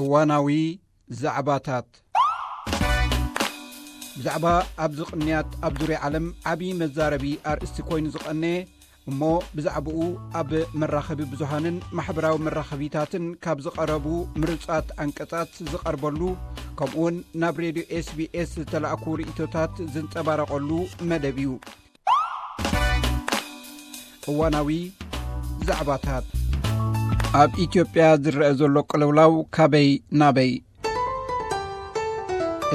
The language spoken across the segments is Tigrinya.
እዋናዊ ዛዕባታት። ብዛዕባ ኣብዚ ቅንያት ኣብ ዙርያ ዓለም ዓቢ መዛረቢ ኣርእስቲ ኮይኑ ዝቐነየ፣ እሞ ብዛዕባኡ ኣብ መራኸቢ ብዙሃንን ማሕበራዊ መራኸቢታትን ካብ ዝቐረቡ ምርጻት ኣንቀጻት ዝቐርበሉ፣ ከምኡውን ናብ ሬድዮ ኤስቢኤስ ዝተላእኩ ርእይቶታት ዝንጸባረቐሉ መደብ እዩ። እዋናዊ ዛዕባታት። ኣብ ኢትዮጵያ ዝረአ ዘሎ ቅልውላው ካበይ ናበይ?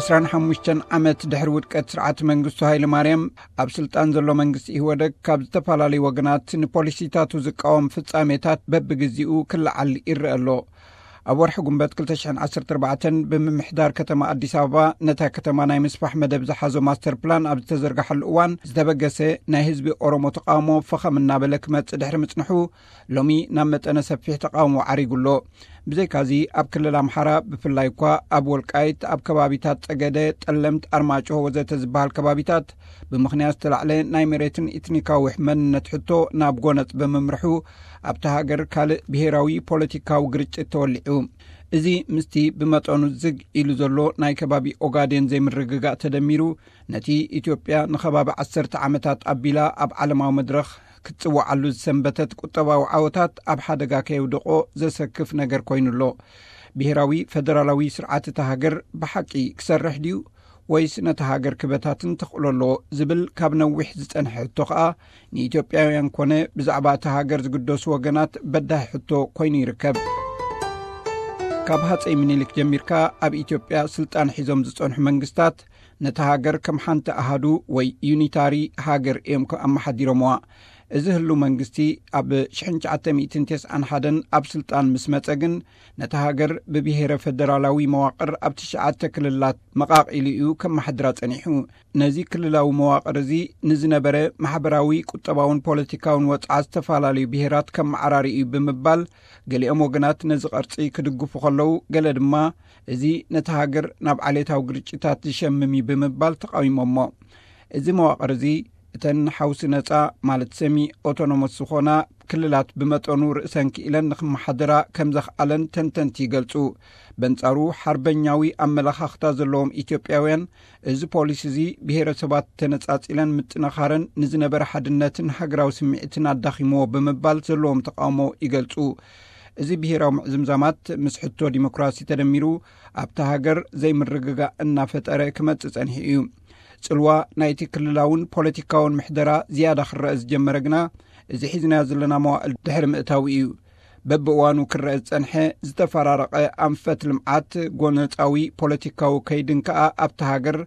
ዕስራን ሓሙሽተን ዓመት ድሕሪ ውድቀት ስርዓት መንግስቱ ሃይለ ማርያም፣ ኣብ ስልጣን ዘሎ መንግስቲ ኢህወደግ ካብ ዝተፈላለዩ ወገናት ንፖሊሲታቱ ዝቃወም ፍጻሜታት በብግዜኡ ክለዓል ይረአ ኣሎ። ኣብ ወርሒ ጉንበት ክልተ ሽሕን ዓሰርተ ኣርባዕተን ብምምሕዳር ከተማ ኣዲስ ኣበባ ነታ ከተማ ናይ ምስፋሕ መደብ ዝሓዞ ማስተር ፕላን ኣብ ዝተዘርጋሐሉ እዋን ዝተበገሰ ናይ ህዝቢ ኦሮሞ ተቃውሞ ፈኸም እናበለ ክመጽእ ድሕሪ ምጽንሑ ሎሚ ናብ መጠነ ሰፊሕ ተቃውሞ ዓሪጉ ኣሎ። ብዘይካዚ ኣብ ክልል ኣምሓራ ብፍላይ እኳ ኣብ ወልቃይት ኣብ ከባቢታት ጸገደ፣ ጠለምት፣ ኣርማጭሆ ወዘተ ዝበሃል ከባቢታት ብምኽንያት ዝተላዕለ ናይ መሬትን ኢትኒካዊ መንነት ሕቶ ናብ ጎነጽ ብምምርሑ ኣብታ ሃገር ካልእ ብሄራዊ ፖለቲካዊ ግርጭት ተወሊዑ። እዚ ምስቲ ብመጠኑ ዝግ ኢሉ ዘሎ ናይ ከባቢ ኦጋዴን ዘይምርግጋእ ተደሚሩ ነቲ ኢትዮጵያ ንኸባቢ ዓሰርተ ዓመታት ኣቢላ ኣብ ዓለማዊ መድረኽ ክትጽውዓሉ ዝሰንበተት ቁጠባዊ ዓወታት ኣብ ሓደጋ ከየውደቆ ዘሰክፍ ነገር ኮይኑ ኣሎ። ብሄራዊ ፈደራላዊ ስርዓት እታ ሃገር ብሓቂ ክሰርሕ ድዩ ወይስ ነታ ሃገር ክበታትን ተኽእሎ ኣለዎ ዝብል ካብ ነዊሕ ዝጸንሐ ሕቶ ከኣ ንኢትዮጵያውያን ኮነ ብዛዕባ እታ ሃገር ዝግደሱ ወገናት በዳሂ ሕቶ ኮይኑ ይርከብ። ካብ ሃጸይ ምኒልክ ጀሚርካ ኣብ ኢትዮጵያ ስልጣን ሒዞም ዝጸንሑ መንግስታት ነታ ሃገር ከም ሓንቲ ኣሃዱ ወይ ዩኒታሪ ሃገር እዮም ኣመሓዲሮምዋ። እዚ ህሉ መንግስቲ ኣብ ሽሕን ትሽዓተ ሚእትን ተስዓን ሓደን ኣብ ስልጣን ምስ መጸ ግን ነታ ሃገር ብብሄረ ፈደራላዊ መዋቕር ኣብ ትሽዓተ ክልላት መቓቒሉ እዩ ከመሓድራ ጸኒሑ። ነዚ ክልላዊ መዋቕር እዚ ንዝነበረ ማሕበራዊ፣ ቁጠባውን ፖለቲካውን ወጽዓ ዝተፈላለዩ ብሄራት ከመዓራሪ እዩ ብምባል፣ ገሊኦም ወገናት ነዚ ቅርጺ ክድግፉ ከለዉ፣ ገለ ድማ እዚ ነቲ ሃገር ናብ ዓሌታዊ ግርጭታት ዝሸምም እዩ ብምባል ተቃዊሞሞ። እዚ መዋቕር እዚ እተን ሓውሲ ነጻ ማለት ሰሚ ኦቶኖመስ ዝኾና ክልላት ብመጠኑ ርእሰን ክኢለን ንክመሓደራ ከም ዘኽኣለን ተንተንቲ ይገልጹ። በንጻሩ ሓርበኛዊ ኣመለኻኽታ ዘለዎም ኢትዮጵያውያን እዚ ፖሊሲ እዚ ብሄረሰባት ተነጻጺለን ምጥንኻረን ንዝነበረ ሓድነትን ሃገራዊ ስምዒትን ኣዳኺምዎ ብምባል ዘለዎም ተቃውሞ ይገልጹ። እዚ ብሄራዊ ምዕዝምዛማት ምስ ሕቶ ዲሞክራሲ ተደሚሩ ኣብታ ሃገር ዘይምርግጋእ እናፈጠረ ክመጽእ ጸኒሑ እዩ። ጽልዋ ናይቲ ክልላውን ፖለቲካውን ምሕደራ ዝያዳ ክረአ ዝጀመረ ግና እዚ ሒዝናዮ ዘለና መዋእል ድሕሪ ምእታው እዩ። በብእዋኑ ክረአ ዝጸንሐ ዝተፈራረቐ ኣንፈት ልምዓት ጎነጻዊ ፖለቲካዊ ከይድን ከኣ ኣብታ ሃገር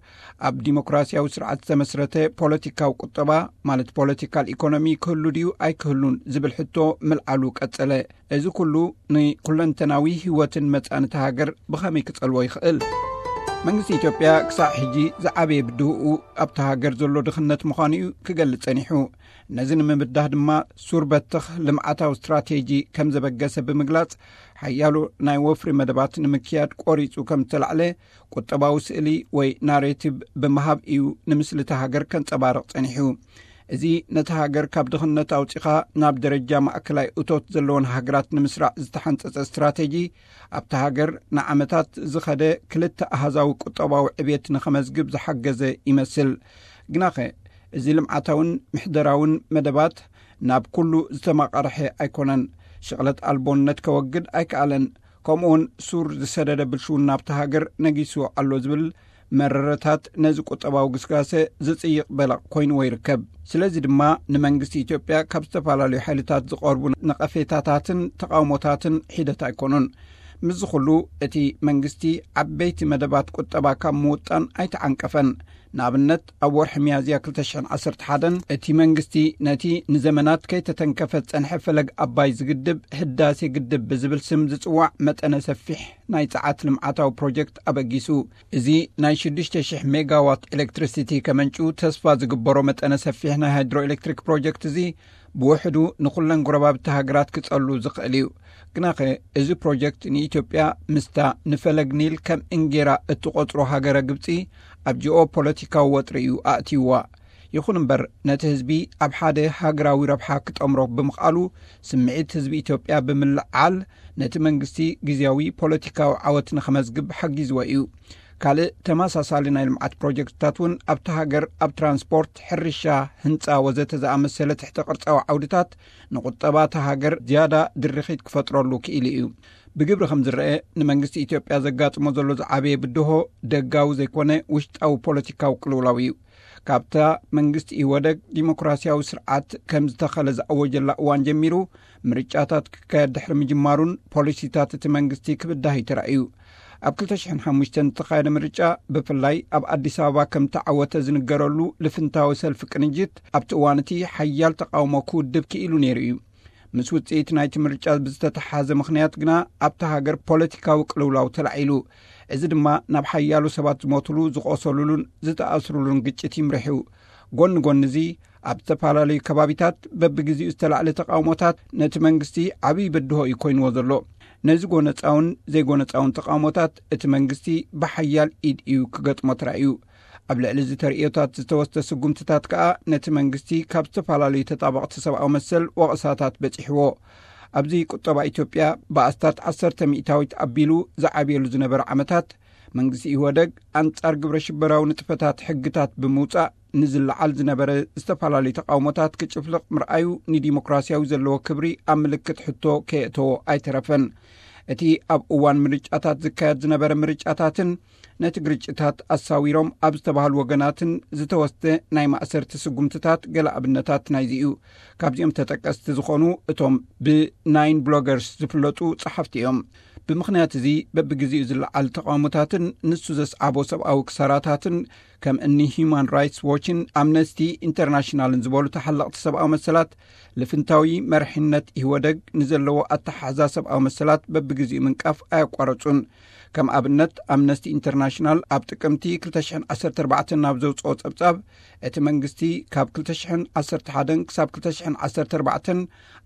ኣብ ዲሞክራሲያዊ ስርዓት ዝተመስረተ ፖለቲካዊ ቁጠባ ማለት ፖለቲካል ኢኮኖሚ ክህሉ ድዩ ኣይክህሉን ዝብል ሕቶ ምልዓሉ ቀጸለ። እዚ ኩሉ ንኩለንተናዊ ህይወትን መጻንታ ሃገር ብኸመይ ክጸልዎ ይኽእል? መንግስቲ ኢትዮጵያ ክሳዕ ሕጂ ዝዓበየ ብድሆኡ ኣብታ ሃገር ዘሎ ድኽነት ምዃኑ እዩ ክገልጽ ጸኒሑ። ነዚ ንምብዳህ ድማ ሱር በትኽ ልምዓታዊ ስትራቴጂ ከም ዘበገሰ ብምግላጽ፣ ሓያሎ ናይ ወፍሪ መደባት ንምክያድ ቆሪጹ ከም ዝተላዕለ ቁጠባዊ ስእሊ ወይ ናሬቲቭ ብምሃብ እዩ ንምስሊ እታ ሃገር ከንጸባርቕ ጸኒሑ። እዚ ነቲ ሃገር ካብ ድኽነት ኣውጺኻ ናብ ደረጃ ማእከላይ እቶት ዘለወን ሃገራት ንምስራዕ ዝተሓንጸጸ ስትራቴጂ፣ ኣብታ ሃገር ንዓመታት ዝኸደ ክልተ ኣሃዛዊ ቁጠባዊ ዕብየት ንኸመዝግብ ዝሓገዘ ይመስል። ግናኸ፣ እዚ ልምዓታውን ምሕደራውን መደባት ናብ ኩሉ ዝተማቐርሐ ኣይኮነን። ሽቕለት ኣልቦነት ከወግድ ኣይከኣለን። ከምኡውን ሱር ዝሰደደ ብልሽውና ኣብታ ሃገር ነጊሱ ኣሎ ዝብል መረረታት ነዚ ቁጠባዊ ግስጋሰ ዝጽይቕ በለቕ ኮይንዎ ይርከብ። ስለዚ ድማ ንመንግስቲ ኢትዮጵያ ካብ ዝተፈላለዩ ሓይልታት ዝቐርቡ ነቐፌታታትን ተቓውሞታትን ሒደት ኣይኮኑን። ምስዚ ኩሉ እቲ መንግስቲ ዓበይቲ መደባት ቁጠባ ካብ ምውጣን ኣይተዓንቀፈን። ንኣብነት ኣብ ወርሒ ሚያዝያ ክልተ ሽሕን ዓሰርተ ሓደን እቲ መንግስቲ ነቲ ንዘመናት ከይተተንከፈ ዝጸንሐ ፈለግ ኣባይ ዝግድብ ህዳሴ ግድብ ብዝብል ስም ዝጽዋዕ መጠነ ሰፊሕ ናይ ጸዓት ልምዓታዊ ፕሮጀክት ኣበጊሱ። እዚ ናይ ሽዱሽተ ሽሕ ሜጋዋት ኤሌክትሪሲቲ ከመንጩ ተስፋ ዝግበሮ መጠነ ሰፊሕ ናይ ሃይድሮ ኤሌክትሪክ ፕሮጀክት እዚ ብውሕዱ ንኹለን ጎረባብቲ ሃገራት ክጸሉ ዝኽእል እዩ። ግናኸ እዚ ፕሮጀክት ንኢትዮጵያ ምስታ ንፈለግ ኒል ከም እንጌራ እትቖጽሮ ሃገረ ግብጺ ኣብ ጂኦ ፖለቲካዊ ወጥሪ እዩ ኣእትይዋ። ይኹን እምበር፣ ነቲ ህዝቢ ኣብ ሓደ ሃገራዊ ረብሓ ክጠምሮ ብምኽኣሉ፣ ስምዒት ህዝቢ ኢትዮጵያ ብምልዓል፣ ነቲ መንግስቲ ግዝያዊ ፖለቲካዊ ዓወት ንኸመዝግብ ሓጊዝዎ እዩ። ካልእ ተመሳሳሊ ናይ ልምዓት ፕሮጀክትታት እውን ኣብቲ ሃገር ኣብ ትራንስፖርት፣ ሕርሻ፣ ህንፃ ወዘተ ዝኣመሰለ ትሕተ ቅርፃዊ ዓውድታት ንቁጠባ እታ ሃገር ዝያዳ ድርኺት ክፈጥረሉ ክኢሉ እዩ። ብግብሪ ከም ዝረአ፣ ንመንግስቲ ኢትዮጵያ ዘጋጥሞ ዘሎ ዝዓበየ ብድሆ ደጋዊ ዘይኮነ ውሽጣዊ ፖለቲካዊ ቅልውላው እዩ። ካብታ መንግስቲ ኢህወደግ ዲሞክራሲያዊ ስርዓት ከም ዝተኸለ ዝኣወጀላ እዋን ጀሚሩ፣ ምርጫታት ክካየድ ድሕሪ ምጅማሩን ፖሊሲታት እቲ መንግስቲ ክብዳህ እዩ ተራእዩ። ኣብ ክልተ ሽሕን ሓሙሽተን ዝተኻየደ ምርጫ፣ ብፍላይ ኣብ ኣዲስ ኣበባ ከም ተዓወተ ዝንገረሉ ልፍንታዊ ሰልፊ ቅንጅት፣ ኣብቲ እዋን እቲ ሓያል ተቃውሞ ክውድብ ክኢሉ ነይሩ እዩ። ምስ ውጽኢት ናይቲ ምርጫ ብዝተተሓዘ ምኽንያት ግና፣ ኣብታ ሃገር ፖለቲካዊ ቅልውላው ተላዒሉ። እዚ ድማ ናብ ሓያሎ ሰባት ዝሞትሉ፣ ዝቆሰሉሉን ዝተኣስሩሉን ግጭት ይምርሑ። ጎኒ ጎኒ እዚ፣ ኣብ ዝተፈላለዩ ከባቢታት በብግዜኡ ዝተላዕለ ተቃውሞታት ነቲ መንግስቲ ዓብዪ ብድሆ እዩ ኮይንዎ ዘሎ። ነዚ ጎነጻውን ዘይጎነጻውን ተቃውሞታት እቲ መንግስቲ ብሓያል ኢድ እዩ ክገጥሞ ተራእዩ። ኣብ ልዕሊ እዚ ተርእዮታት ዝተወስደ ስጉምትታት ከኣ ነቲ መንግስቲ ካብ ዝተፈላለዩ ተጣበቕቲ ሰብኣዊ መሰል ወቐሳታት በጺሕዎ። ኣብዚ ቁጠባ ኢትዮጵያ ብኣስታት ዓሰርተ ሚእታዊት ኣቢሉ ዝዓብየሉ ዝነበረ ዓመታት፣ መንግስቲ ኢህወደግ ኣንጻር ግብረ ሽበራዊ ንጥፈታት ሕግታት ብምውጻእ ንዝለዓል ዝነበረ ዝተፈላለዩ ተቃውሞታት ክጭፍልቕ ምርኣዩ ንዲሞክራሲያዊ ዘለዎ ክብሪ ኣብ ምልክት ሕቶ ከየእተዎ ኣይተረፈን። እቲ ኣብ እዋን ምርጫታት ዝካየድ ዝነበረ ምርጫታትን ነቲ ግርጭታት ኣሳዊሮም ኣብ ዝተባህሉ ወገናትን ዝተወስደ ናይ ማእሰርቲ ስጉምትታት ገለ ኣብነታት ናይዚ እዩ። ካብዚኦም ተጠቀስቲ ዝኾኑ እቶም ብናይን ብሎገርስ ዝፍለጡ ጸሓፍቲ እዮም። ብምኽንያት እዚ በብግዜኡ ዝለዓል ተቃውሞታትን ንሱ ዘስዓቦ ሰብኣዊ ክሳራታትን ከም እኒ ሂዩማን ራይትስ ዎችን ኣምነስቲ ኢንተርናሽናልን ዝበሉ ተሓለቕቲ ሰብኣዊ መሰላት፣ ልፍንታዊ መርሒነት ኢህወደግ ንዘለዎ ኣተሓሕዛ ሰብኣዊ መሰላት በብግዜኡ ምንቃፍ ኣየቋረጹን። ከም ኣብነት፣ ኣምነስቲ ኢንተርናሽናል ኣብ ጥቅምቲ ክልተ ሽሕን ዓሰርተ ኣርባዕተን ናብ ዘውጽኦ ጸብጻብ፣ እቲ መንግስቲ ካብ ክልተ ሽሕን ዓሰርተ ሓደን ክሳብ ክልተ ሽሕን ዓሰርተ ኣርባዕተን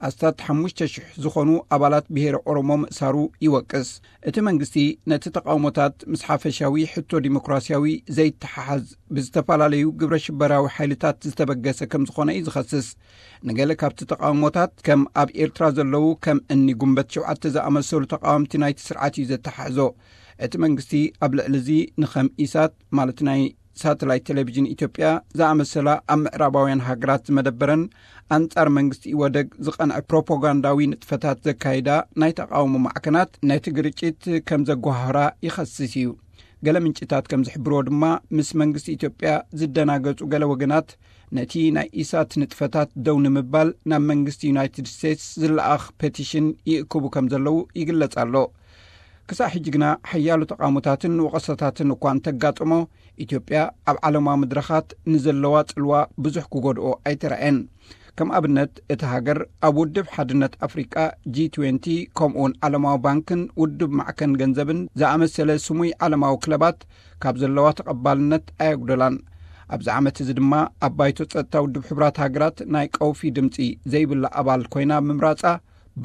ኣስታት ሓሙሽተ ሽሕ ዝኾኑ ኣባላት ብሄረ ኦሮሞ ምእሳሩ ይወቅስ። እቲ መንግስቲ ነቲ ተቃውሞታት ምስ ሓፈሻዊ ሕቶ ዲሞክራሲያዊ ዘይተሓሓዝ ብዝተፈላለዩ ግብረ ሽበራዊ ሓይልታት ዝተበገሰ ከም ዝኾነ እዩ ዝኸስስ። ንገለ ካብቲ ተቃውሞታት ከም ኣብ ኤርትራ ዘለዉ ከም እኒ ጉንበት ሸውዓተ ዝኣመሰሉ ተቃወምቲ ናይቲ ስርዓት እዩ ዘተሓሕዞ። እቲ መንግስቲ ኣብ ልዕሊ እዚ ንኸም ኢሳት ማለት ናይ ሳተላይት ቴሌቪዥን ኢትዮጵያ ዝኣመሰላ ኣብ ምዕራባውያን ሃገራት ዝመደበረን ኣንጻር መንግስቲ ኢህወደግ ዝቐንዐ ፕሮፓጋንዳዊ ንጥፈታት ዘካይዳ ናይ ተቃውሞ ማዕከናት ነቲ ግርጭት ከም ዘጓሃህራ ይኸስስ እዩ። ገለ ምንጭታት ከም ዝሕብርዎ ድማ፣ ምስ መንግስቲ ኢትዮጵያ ዝደናገጹ ገለ ወገናት ነቲ ናይ ኢሳት ንጥፈታት ደው ንምባል ናብ መንግስቲ ዩናይትድ ስቴትስ ዝለኣኽ ፔቲሽን ይእክቡ ከም ዘለዉ ይግለጽ ኣሎ። ክሳዕ ሕጂ ግና ሓያሎ ተቃውሞታትን ወቐሳታትን እኳ እንተጋጠሞ፣ ኢትዮጵያ ኣብ ዓለማዊ መድረኻት ንዘለዋ ጽልዋ ብዙሕ ክጎድኦ ኣይተራእየን። ከም ኣብነት፣ እታ ሃገር ኣብ ውድብ ሓድነት ኣፍሪቃ፣ ጂ ትዌንቲ፣ ከምኡውን ዓለማዊ ባንክን ውድብ ማዕከን ገንዘብን ዝኣመሰለ ስሙይ ዓለማዊ ክለባት ካብ ዘለዋ ተቐባልነት ኣየጉደላን። ኣብዚ ዓመት እዚ ድማ ኣብ ባይቶ ጸጥታ ውድብ ሕቡራት ሃገራት ናይ ቀውፊ ድምጺ ዘይብላ ኣባል ኮይና ብምምራጻ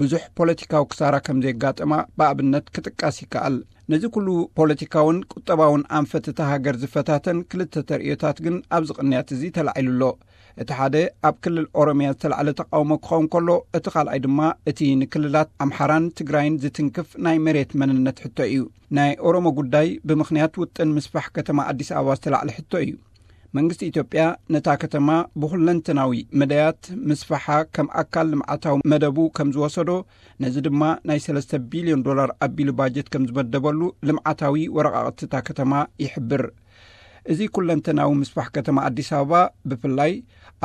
ብዙሕ ፖለቲካዊ ክሳራ ከም ዘየጋጠማ ብኣብነት ክጥቀስ ይከኣል። ነዚ ኩሉ ፖለቲካውን ቁጠባውን ኣንፈት እታ ሃገር ዝፈታተን ክልተ ተርእዮታት ግን ኣብዚ ቅንያት እዚ ተላዒሉ ኣሎ። እቲ ሓደ ኣብ ክልል ኦሮምያ ዝተላዕለ ተቃውሞ ክኸውን ከሎ፣ እቲ ካልኣይ ድማ እቲ ንክልላት ኣምሓራን ትግራይን ዝትንክፍ ናይ መሬት መንነት ሕቶ እዩ። ናይ ኦሮሞ ጉዳይ ብምኽንያት ውጥን ምስፋሕ ከተማ ኣዲስ ኣበባ ዝተላዕለ ሕቶ እዩ። መንግስቲ ኢትዮጵያ ነታ ከተማ ብኹለንተናዊ መዳያት ምስፋሓ ከም ኣካል ልምዓታዊ መደቡ ከም ዝወሰዶ፣ ነዚ ድማ ናይ ሰለስተ ቢልዮን ዶላር ኣቢሉ ባጀት ከም ዝመደበሉ ልምዓታዊ ወረቓቕቲ እታ ከተማ ይሕብር። እዚ ኩለንተናዊ ምስፋሕ ከተማ ኣዲስ ኣበባ፣ ብፍላይ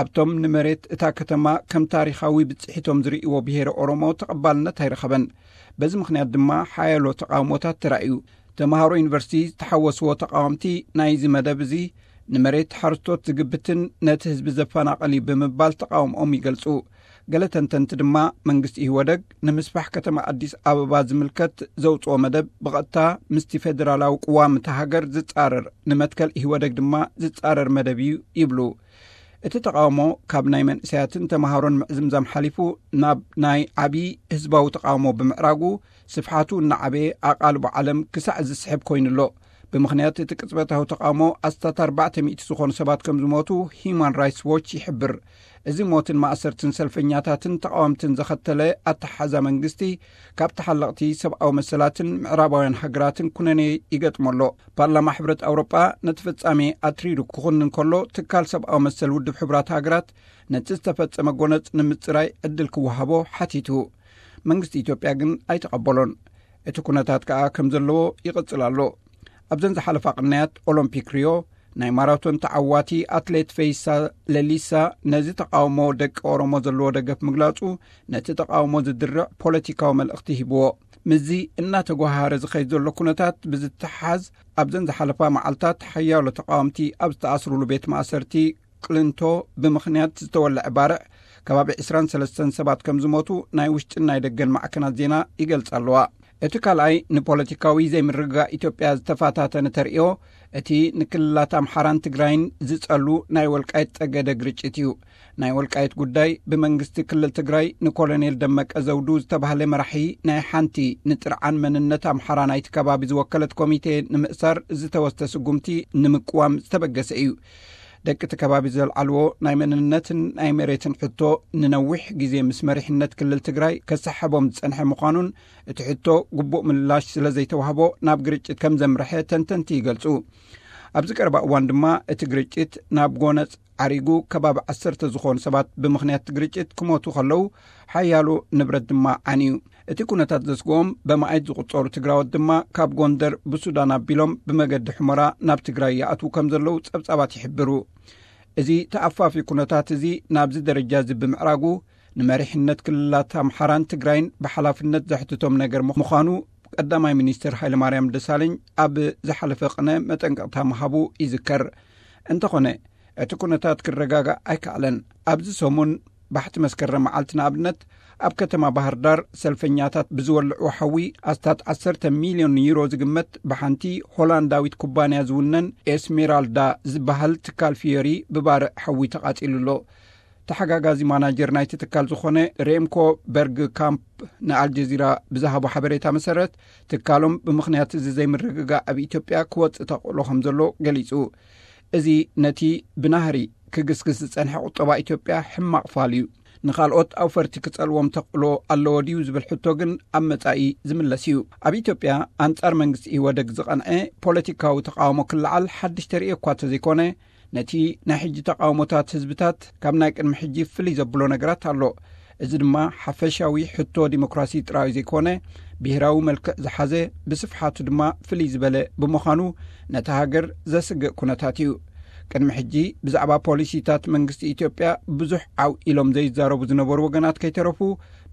ኣብቶም ንመሬት እታ ከተማ ከም ታሪኻዊ ብጽሒቶም ዝርእይዎ ብሄረ ኦሮሞ ተቐባልነት ኣይረኸበን። በዚ ምኽንያት ድማ ሓያሎ ተቃውሞታት ተራእዩ። ተምሃሮ ዩኒቨርሲቲ ዝተሓወስዎ ተቃወምቲ ናይዚ መደብ እዚ፣ ንመሬት ሓረስቶት ዝግብትን ነቲ ህዝቢ ዘፈናቕል እዩ ብምባል ተቃውሞኦም ይገልጹ። ገለ ተንተንቲ ድማ፣ መንግስቲ ኢህወደግ ንምስፋሕ ከተማ ኣዲስ ኣበባ ዝምልከት ዘውጽኦ መደብ ብቐጥታ ምስቲ ፌደራላዊ ቅዋም እታ ሃገር ዝጻረር፣ ንመትከል ኢህወደግ ድማ ዝጻረር መደብ እዩ ይብሉ። እቲ ተቃውሞ ካብ ናይ መንእሰያትን ተምሃሮን ምዕዝምዛም ሓሊፉ ናብ ናይ ዓቢ ህዝባዊ ተቃውሞ ብምዕራጉ፣ ስፍሓቱ እናዓበየ ኣቓልቦ ዓለም ክሳዕ ዝስሕብ ኮይኑ ኣሎ። ብምኽንያት እቲ ቅጽበታዊ ተቓውሞ ኣስታት ኣርባዕተ ሚእቲ ዝኾኑ ሰባት ከም ዝሞቱ ሂዩማን ራይትስ ዎች ይሕብር። እዚ ሞትን ማእሰርትን ሰልፈኛታትን ተቓወምትን ዘኸተለ ኣተሓሕዛ መንግስቲ፣ ካብ ተሓለቕቲ ሰብኣዊ መሰላትን ምዕራባውያን ሃገራትን ኩነኔ ይገጥሞ ኣሎ። ፓርላማ ሕብረት ኣውሮጳ ነቲ ፍጻሜ ኣትሪሩ ክኹንን ከሎ፣ ትካል ሰብኣዊ መሰል ውድብ ሕቡራት ሃገራት ነቲ ዝተፈጸመ ጎነጽ ንምጽራይ ዕድል ክወሃቦ ሓቲቱ። መንግስቲ ኢትዮጵያ ግን ኣይተቐበሎን። እቲ ኩነታት ከኣ ከም ዘለዎ ይቕጽል ኣሎ። ኣብዘን ዝሓለፋ ቅንያት ኦሎምፒክ ሪዮ፣ ናይ ማራቶን ተዓዋቲ ኣትሌት ፈይሳ ለሊሳ ነዚ ተቓውሞ ደቂ ኦሮሞ ዘለዎ ደገፍ ምግላጹ፣ ነቲ ተቓውሞ ዝድርዕ ፖለቲካዊ መልእኽቲ ሂብዎ። ምስዚ እናተጓሃረ ዝኸይድ ዘሎ ኩነታት ብዝተሓዝ፣ ኣብዘን ዝሓለፋ መዓልታት ሓያሎ ተቓወምቲ ኣብ ዝተኣስሩሉ ቤት ማእሰርቲ ቅልንቶ ብምኽንያት ዝተወልዐ ባርዕ፣ ከባቢ ዕስራን ሰለስተን ሰባት ከም ዝሞቱ ናይ ውሽጥን ናይ ደገን ማዕከናት ዜና ይገልጻ ኣለዋ። እቲ ካልኣይ ንፖለቲካዊ ዘይምርግጋእ ኢትዮጵያ ዝተፈታተነ ተርእዮ፣ እቲ ንክልላት ኣምሓራን ትግራይን ዝጸሉ ናይ ወልቃይት ጸገደ ግርጭት እዩ። ናይ ወልቃይት ጉዳይ ብመንግስቲ ክልል ትግራይ ንኮሎኔል ደመቀ ዘውዱ ዝተባህለ መራሒ ናይ ሓንቲ ንጥርዓን መንነት ኣምሓራ ናይቲ ከባቢ ዝወከለት ኮሚቴ ንምእሳር ዝተወስደ ስጉምቲ ንምቅዋም ዝተበገሰ እዩ። ደቂ እቲ ከባቢ ዘልዓልዎ ናይ መንነትን ናይ መሬትን ሕቶ፣ ንነዊሕ ግዜ ምስ መሪሕነት ክልል ትግራይ ከሰሓቦም ዝጸንሐ ምዃኑን፣ እቲ ሕቶ ግቡእ ምላሽ ስለ ዘይተዋህቦ ናብ ግርጭት ከም ዘምርሐ ተንተንቲ ይገልጹ። ኣብዚ ቀረባ እዋን ድማ እቲ ግርጭት ናብ ጎነጽ ዓሪጉ፣ ከባቢ ዓሰርተ ዝኾኑ ሰባት ብምኽንያት ግርጭት ክሞቱ ከለዉ፣ ሓያሎ ንብረት ድማ ዓንዩ። እቲ ኩነታት ዘስግኦም በማኣይት ዝቑጸሩ ትግራዎት ድማ ካብ ጎንደር ብሱዳን ኣቢሎም ብመገዲ ሑመራ ናብ ትግራይ ይኣትዉ ከም ዘለዉ ጸብጻባት ይሕብሩ። እዚ ተኣፋፊ ኩነታት እዚ ናብዚ ደረጃ እዚ ብምዕራጉ፣ ንመሪሕነት ክልላት ኣምሓራን ትግራይን ብሓላፍነት ዘሕትቶም ነገር ምዃኑ ቀዳማይ ሚኒስትር ሃይለማርያም ደሳለኝ ኣብ ዝሓለፈ ቅነ መጠንቀቕታ ምሃቡ ይዝከር። እንተኾነ፣ እቲ ኩነታት ክረጋጋእ ኣይከኣለን። ኣብዚ ሰሙን ባሕቲ መስከረም መዓልቲ ንኣብነት፣ ኣብ ከተማ ባህር ዳር ሰልፈኛታት ብዝወልዕዎ ሓዊ ኣስታት ዓሰርተ ሚልዮን ዩሮ ዝግመት ብሓንቲ ሆላንዳዊት ኩባንያ ዝውነን ኤስሜራልዳ ዝበሃል ትካል ፊዮሪ ብባርዕ ሓዊ ተቓጺሉ ኣሎ። ተሓጋጋዚ ማናጀር ናይቲ ትካል ዝኾነ ሬምኮ በርግ ካምፕ ንኣልጀዚራ ብዝሃቦ ሓበሬታ መሰረት፣ ትካሎም ብምኽንያት እዚ ዘይምርግጋእ ኣብ ኢትዮጵያ ክወጽእ ተኽእሎ ከም ዘሎ ገሊጹ። እዚ ነቲ ብናህሪ ክግስግስ ዝጸንሐ ቁጠባ ኢትዮጵያ ሕማቕ ፋል እዩ። ንኻልኦት ኣውፈርቲ ክጸልዎም ተኽእሎ ኣለዎ ድዩ ዝብል ሕቶ ግን ኣብ መጻኢ ዝምለስ እዩ። ኣብ ኢትዮጵያ ኣንጻር መንግስቲ ኢህወደግ ዝቐንዐ ፖለቲካዊ ተቓውሞ ክለዓል ሓድሽ ተርእዮ እኳ እንተዘይኮነ፣ ነቲ ናይ ሕጂ ተቓውሞታት ህዝብታት ካብ ናይ ቅድሚ ሕጂ ፍልይ ዘብሎ ነገራት ኣሎ። እዚ ድማ ሓፈሻዊ ሕቶ ዲሞክራሲ ጥራይ ዘይኮነ፣ ብሄራዊ መልክዕ ዝሓዘ፣ ብስፍሓቱ ድማ ፍልይ ዝበለ ብምዃኑ፣ ነታ ሃገር ዘስግእ ኩነታት እዩ። ቅድሚ ሕጂ ብዛዕባ ፖሊሲታት መንግስቲ ኢትዮጵያ ብዙሕ ዓው ኢሎም ዘይዛረቡ ዝነበሩ ወገናት ከይተረፉ፣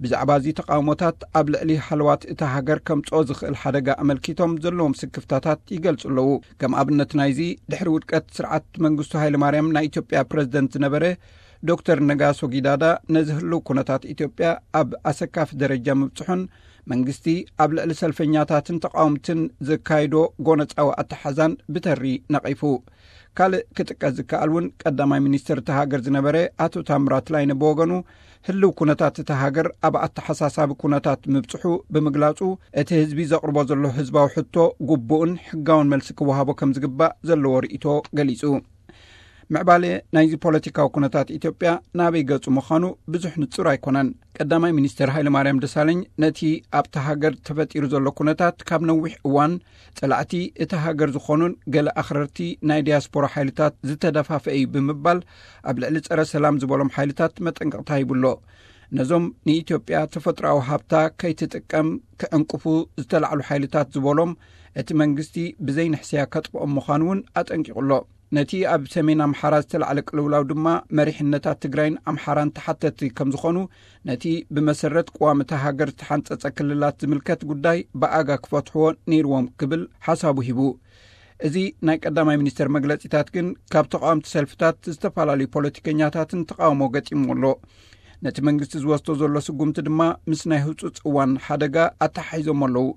ብዛዕባ እዚ ተቓውሞታት ኣብ ልዕሊ ሃለዋት እታ ሃገር ከምጽኦ ዝኽእል ሓደጋ ኣመልኪቶም ዘለዎም ስክፍታታት ይገልጹ ኣለዉ። ከም ኣብነት ናይዚ፣ ድሕሪ ውድቀት ስርዓት መንግስቱ ሃይለማርያም ናይ ኢትዮጵያ ፕረዚደንት ዝነበረ ዶክተር ነጋሶ ጊዳዳ፣ ነዚ ህልው ኩነታት ኢትዮጵያ ኣብ ኣሰካፊ ደረጃ ምብጽሑን መንግስቲ ኣብ ልዕሊ ሰልፈኛታትን ተቓወምትን ዘካይዶ ጎነጻዊ ኣተሓዛን ብተሪ ነቒፉ። ካልእ ክጥቀስ ዝከኣል እውን፣ ቀዳማይ ሚኒስትር እታ ሃገር ዝነበረ ኣቶ ታምራት ላይነ ብወገኑ፣ ህልው ኩነታት እታ ሃገር ኣብ ኣተሓሳሳቢ ኩነታት ምብጽሑ ብምግላጹ፣ እቲ ህዝቢ ዘቕርቦ ዘሎ ህዝባዊ ሕቶ ግቡእን ሕጋውን መልሲ ክወሃቦ ከም ዝግባእ ዘለዎ ርእይቶ ገሊጹ። ምዕባለ ናይዚ ፖለቲካዊ ኩነታት ኢትዮጵያ ናበይ ገጹ ምዃኑ ብዙሕ ንጹር ኣይኮነን። ቀዳማይ ሚኒስትር ሃይለማርያም ደሳለኝ፣ ነቲ ኣብታ ሃገር ተፈጢሩ ዘሎ ኩነታት ካብ ነዊሕ እዋን ጸላእቲ እታ ሃገር ዝኾኑን ገለ ኣኽረርቲ ናይ ዲያስፖራ ሓይልታት ዝተደፋፈ እዩ ብምባል፣ ኣብ ልዕሊ ጸረ ሰላም ዝበሎም ሓይልታት መጠንቀቕታ ሂቡ ኣሎ። ነዞም ንኢትዮጵያ ተፈጥሮኣዊ ሃብታ ከይትጥቀም ክዕንቅፉ ዝተላዕሉ ሓይልታት ዝበሎም፣ እቲ መንግስቲ ብዘይንሕስያ ከጥፍኦም ምዃኑ እውን ኣጠንቂቑ ኣሎ። ነቲ ኣብ ሰሜን ኣምሓራ ዝተላዕለ ቅልውላው ድማ፣ መሪሕነታት ትግራይን ኣምሓራን ተሓተቲ ከም ዝኾኑ፣ ነቲ ብመሰረት ቅዋም እታ ሃገር ዝተሓንጸጸ ክልላት ዝምልከት ጉዳይ ብኣጋ ክፈትሕዎ ነይርዎም ክብል ሓሳቡ ሂቡ። እዚ ናይ ቀዳማይ ሚኒስተር መግለጺታት ግን፣ ካብ ተቓወምቲ ሰልፍታት ዝተፈላለዩ ፖለቲከኛታትን ተቓውሞ ገጢምዎ ኣሎ። ነቲ መንግስቲ ዝወስዶ ዘሎ ስጉምቲ ድማ፣ ምስ ናይ ህጹጽ እዋን ሓደጋ ኣተሓሒዞም ኣለዉ።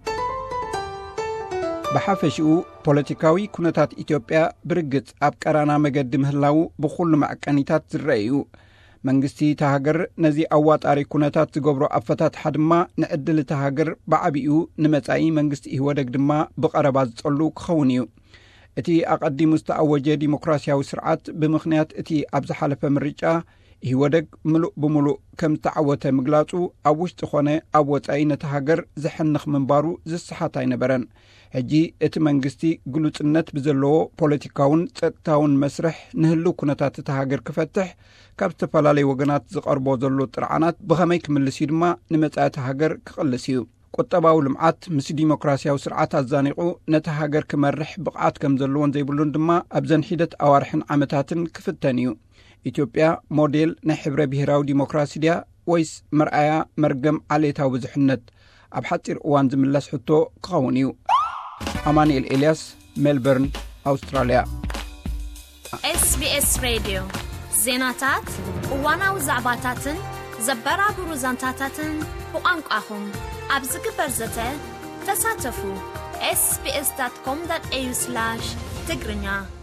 ብሓፈሽኡ፣ ፖለቲካዊ ኩነታት ኢትዮጵያ ብርግጽ ኣብ ቀራና መገዲ ምህላዉ ብኹሉ መዐቀኒታት ዝረአ እዩ። መንግስቲ እታ ሃገር ነዚ ኣዋጣሪ ኩነታት ዝገብሮ ኣፈታትሓ ድማ፣ ንዕድል እታ ሃገር ብዓቢኡ፣ ንመጻኢ መንግስቲ ኢህወደግ ድማ ብቐረባ ዝጸሉ ክኸውን እዩ። እቲ ኣቐዲሙ ዝተኣወጀ ዲሞክራሲያዊ ስርዓት፣ ብምኽንያት እቲ ኣብ ዝሓለፈ ምርጫ ኢህወደግ ምሉእ ብምሉእ ከም ዝተዓወተ ምግላጹ፣ ኣብ ውሽጢ ኾነ ኣብ ወጻኢ ነቲ ሃገር ዘሕንኽ ምንባሩ ዝሰሓት ኣይነበረን። ሕጂ እቲ መንግስቲ ግሉጽነት ብዘለዎ ፖለቲካውን ጸጥታውን መስርሕ ንህልው ኩነታት እታ ሃገር ክፈትሕ፣ ካብ ዝተፈላለዩ ወገናት ዝቐርቦ ዘሎ ጥርዓናት ብኸመይ ክምልስ እዩ ድማ ንመጻኢ እታ ሃገር ክቕልስ እዩ። ቁጠባዊ ልምዓት ምስ ዲሞክራሲያዊ ስርዓት ኣዛኒቑ ነቲ ሃገር ክመርሕ ብቕዓት ከም ዘለዎን ዘይብሉን ድማ ኣብዘን ሒደት ኣዋርሕን ዓመታትን ክፍተን እዩ። ኢትዮጵያ ሞዴል ናይ ሕብረ ብሄራዊ ዲሞክራሲ ድያ፣ ወይስ መርኣያ መርገም ዓሌታዊ ብዙሕነት? ኣብ ሓጺር እዋን ዝምለስ ሕቶ ክኸውን እዩ። ኣማኑኤል ኤልያስ፣ ሜልበርን፣ ኣውስትራልያ። SBS ሬድዮ ዜናታት፣ እዋናዊ ዛዕባታትን ዘበራብሩ ዛንታታትን ብቋንቋኹም ኣብ ዝግበር ዘተ ተሳተፉ። ኤስቢኤስ ዳት ኮም ዳት ኤዩ ስላሽ ትግርኛ።